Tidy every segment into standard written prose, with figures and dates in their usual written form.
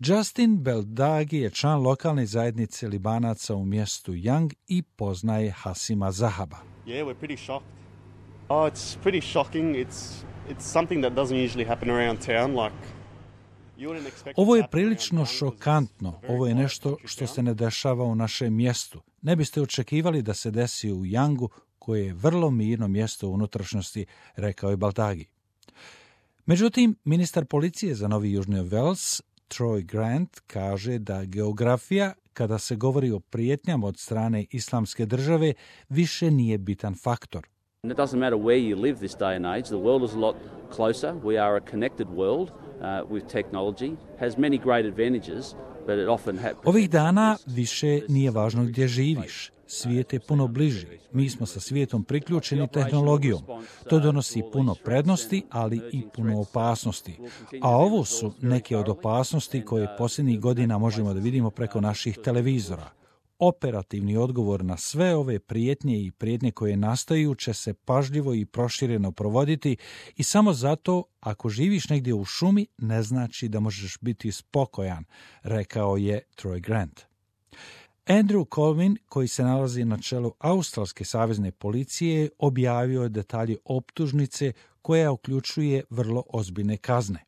Justin Beldagi je član lokalne zajednice Libanaca u mjestu Young i poznaje Hasima Zahaba. Yeah, we're pretty shocked. Oh, it's pretty shocking. It's something that doesn't usually happen around town. Like, ovo je prilično šokantno. Ovo je nešto što se ne dešava u našem mjestu. Ne biste očekivali da se desi u Youngu, koje je vrlo mirno mjesto u unutrašnjosti, rekao je Beldagi. Međutim, ministar policije za Novi Južni Wales, Troy Grant, kaže da geografija, kada se govori o prijetnjama od strane Islamske države, više nije bitan faktor. It doesn't matter where you live this day and age, the world is a lot closer. We are a connected world with technology, has many great advantages, but it often Ovih dana više nije važno gdje živiš. Svijet je puno bliži. Mi smo sa svijetom priključeni tehnologijom. To donosi puno prednosti, ali i puno opasnosti. A ovo su neke od opasnosti koje posljednjih godina možemo da vidimo preko naših televizora. Operativni odgovor na sve ove prijetnje i prijetnje koje nastaju će se pažljivo i prošireno provoditi i samo zato, ako živiš negdje u šumi, ne znači da možeš biti spokojan, rekao je Troy Grant. Andrew Colvin, koji se nalazi na čelu Australske savezne policije, objavio je detalje optužnice koja uključuje vrlo ozbiljne kazne.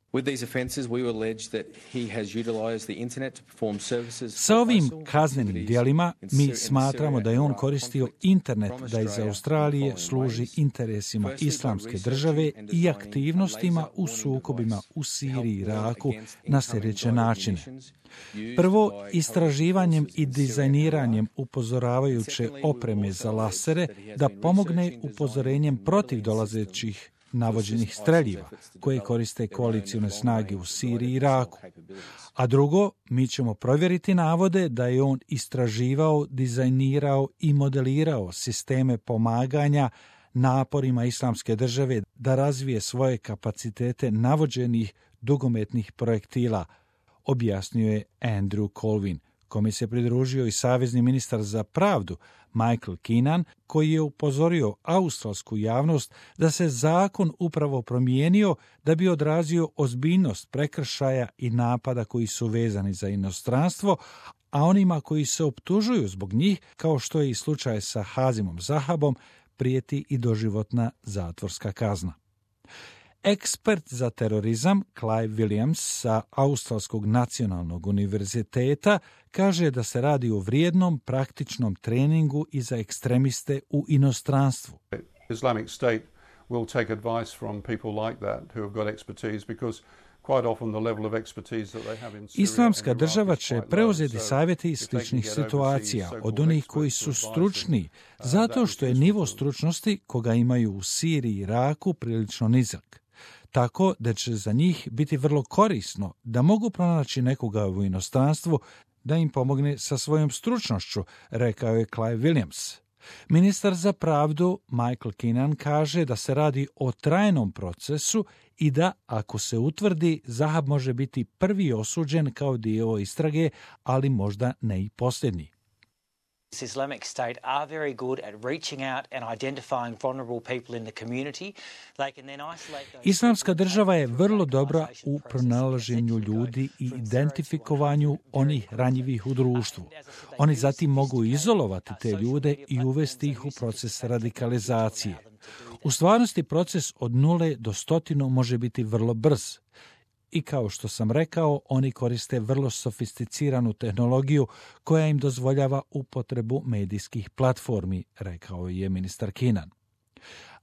Sa ovim kaznenim djelima mi smatramo da je on koristio internet da iz Australije služi interesima Islamske države i aktivnostima u sukobima u Siriji i Iraku na sljedeće načine. Prvo, istraživanjem i dizajniranjem upozoravajuće opreme za lasere da pomogne upozorenjem protiv dolazećih navođenih streljiva koje koriste koalicijne snage u Siriji i Iraku. A drugo, mi ćemo provjeriti navode da je on istraživao, dizajnirao i modelirao sisteme pomaganja naporima Islamske države da razvije svoje kapacitete navođenih dugometnih projektila, objasnio je Andrew Colvin, kome se pridružio i savezni ministar za pravdu Michael Keenan, koji je upozorio australsku javnost da se zakon upravo promijenio da bi odrazio ozbiljnost prekršaja i napada koji su vezani za inostranstvo, a onima koji se optužuju zbog njih, kao što je i slučaj sa Hasimom Zahabom, prijeti i doživotna zatvorska kazna. Ekspert za terorizam Clive Williams sa Australskog nacionalnog univerziteta kaže da se radi o vrijednom praktičnom treningu i za ekstremiste u inostranstvu. Islamic State will take advice from people like that who have got expertise because quite often the level of expertise that they have in Syria. Islamska država će preuzeti savjete iz sličnih situacija od onih koji su stručni, zato što je nivo stručnosti koga imaju u Siriji i Iraku prilično nizak. Tako da će za njih biti vrlo korisno da mogu pronaći nekoga u inostranstvu da im pomogne sa svojom stručnošću, rekao je Clive Williams. Ministar za pravdu Michael Keenan kaže da se radi o trajnom procesu i da, ako se utvrdi, Zahab može biti prvi osuđen kao dio istrage, ali možda ne i posljednji. Islamic State are very good at reaching out and identifying vulnerable people in the community. They can then isolate those. Islamska država je vrlo dobra u pronalaženju ljudi i identifikovanju onih ranjivih u društvu. Oni zatim mogu izolovati te ljude i uvesti ih u proces radikalizacije. U stvarnosti proces od 0 do 100 može biti vrlo brz. I kao što sam rekao, oni koriste vrlo sofisticiranu tehnologiju koja im dozvoljava upotrebu medijskih platformi, rekao je ministar Keenan.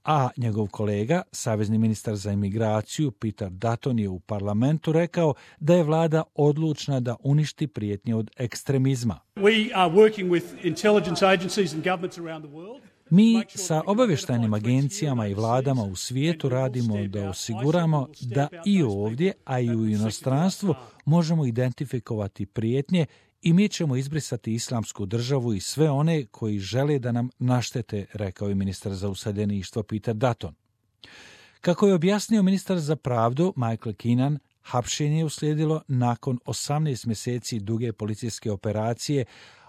A njegov kolega, savezni ministar za imigraciju Peter Dutton, je u parlamentu rekao da je vlada odlučna da uništi prijetnje od ekstremizma. We are working with intelligence agencies and governments around the world. Mi sa obavještajnim agencijama i vladama u svijetu radimo da osiguramo da i ovdje, a i u inostranstvu možemo identifikovati prijetnje i mi ćemo izbrisati Islamsku državu i sve one koji žele da nam naštete, rekao je ministar za useljeništvo Peter Dutton. Kako je objasnio ministar za pravdu Michael Keenan, hapšenje je uslijedilo nakon 18 mjeseci duge policijske operacije,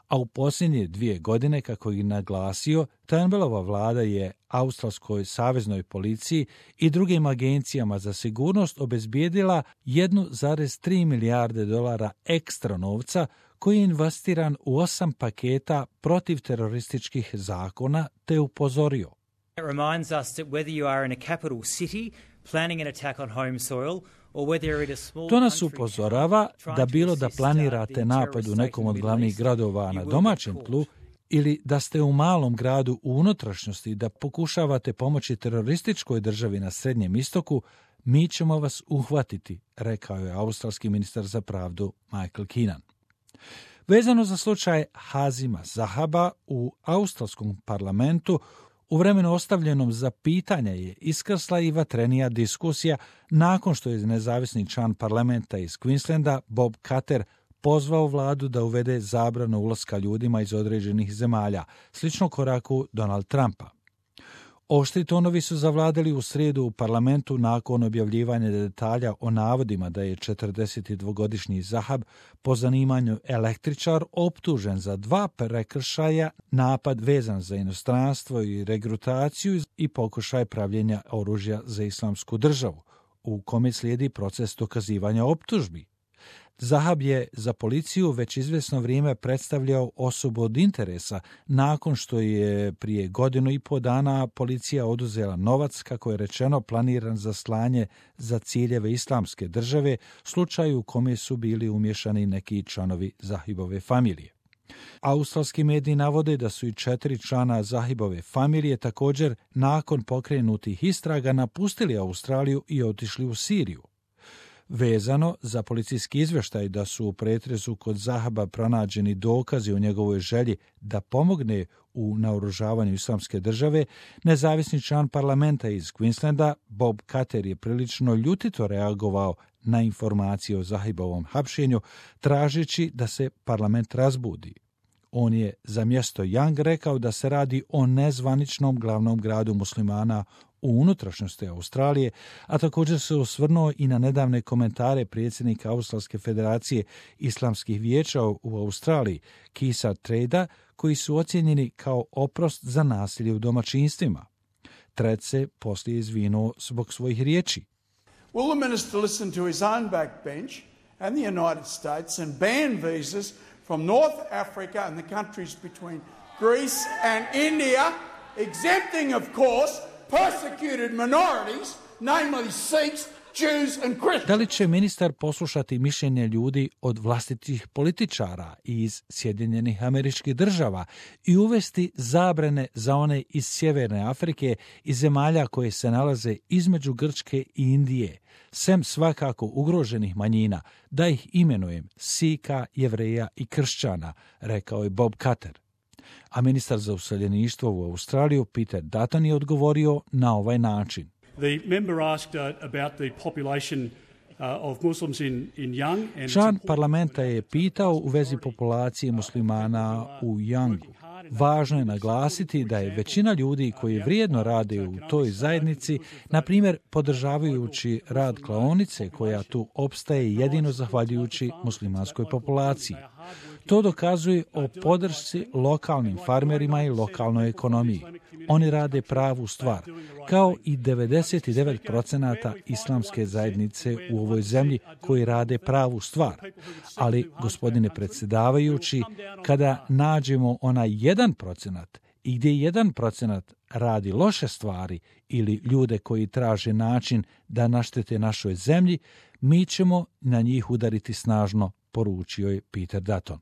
a u posljednje 2 godine, kako je naglasio, Turnbullova vlada je australskoj saveznoj policiji i drugim agencijama za sigurnost obezbijedila 1,3 milijarde dolara ekstra novca koji je investiran u 8 paketa protiv terorističkih zakona, te upozorio. It reminds us that whether you are in a capital city planning an attack on home soil or whether you're in a small To nas upozorava da bilo da planirate napad u nekom od glavnih gradova na domaćem tlu ili da ste u malom gradu u unutrašnjosti da pokušavate pomoći terorističkoj državi na Srednjem istoku, mi ćemo vas uhvatiti, rekao je australski ministar za pravdu Michael Keenan. Vezano za slučaj Hazima Zahaba u australskom parlamentu, u vremenu ostavljenom za pitanja je iskrsla i vatrenija diskusija nakon što je nezavisni član parlamenta iz Queenslanda Bob Katter pozvao vladu da uvede zabranu ulaska ljudima iz određenih zemalja, slično koraku Donald Trumpa. Oštri tonovi su zavladali u srijedu u parlamentu nakon objavljivanja detalja o navodima da je 42-godišnji Zahab po zanimanju električar optužen za 2 prekršaja, napad vezan za inostranstvo i regrutaciju i pokušaj pravljenja oružja za islamsku državu, u kome slijedi proces dokazivanja optužbi. Zahab je za policiju već izvjesno vrijeme predstavljao osobu od interesa nakon što je prije 1,5 dana policija oduzela novac, kako je rečeno, planiran za slanje za ciljeve islamske države, slučaju u kome su bili umješani neki članovi Zahibove familije. Australski mediji navode da su i 4 člana Zahibove familije također nakon pokrenutih istraga napustili Australiju i otišli u Siriju. Vezano za policijski izvještaj da su u pretresu kod Zahaba pronađeni dokazi o njegovoj želji da pomogne u naoružavanju islamske države, nezavisni član parlamenta iz Queenslanda Bob Katter je prilično ljutito reagovao na informacije o Zahibovom hapšenju, tražeći da se parlament razbudi. On je za mjesto Young rekao da se radi o nezvaničnom glavnom gradu muslimana u unutrašnjosti Australije, a također se osvrnuo i na nedavne komentare predsjednika Australske federacije islamskih vijeća u Australiji, Keitha Treda, koji su ocijenjeni kao oprost za nasilje u domaćinstvima. Tred se poslije izvinuo zbog svojih riječi. Will the minister listen to his own backbench and the United States and ban visas from North Africa and the countries between Greece and India, exempting, of course, persecuted minorities, namely Sikhs, Jews and Christians? Da li će ministar poslušati mišljenje ljudi od vlastitih političara iz Sjedinjenih Američkih Država i uvesti zabrane za one iz Sjeverne Afrike i zemalja koje se nalaze između Grčke i Indije, sem svakako ugroženih manjina, da ih imenujem Sika, Jevreja i Kršćana, rekao je Bob Katter. A ministar za useljeništvo u Australiju Peter Dutton je odgovorio na ovaj način. The member asked about the population of Muslims in Young. Član parlamenta je pitao u vezi populacije muslimana u Youngu. Važno je naglasiti da je većina ljudi koji vrijedno rade u toj zajednici, na primjer podržavajući rad klaonice koja tu opstaje jedino zahvaljujući muslimanskoj populaciji. To dokazuje o podršci lokalnim farmerima i lokalnoj ekonomiji. Oni rade pravu stvar, kao i 99% islamske zajednice u ovoj zemlji koji rade pravu stvar. Ali, gospodine predsjedavajući, kada nađemo onaj 1% i gdje 1% radi loše stvari ili ljude koji traže način da naštete našoj zemlji, mi ćemo na njih udariti snažno, poručio je Peter Dutton.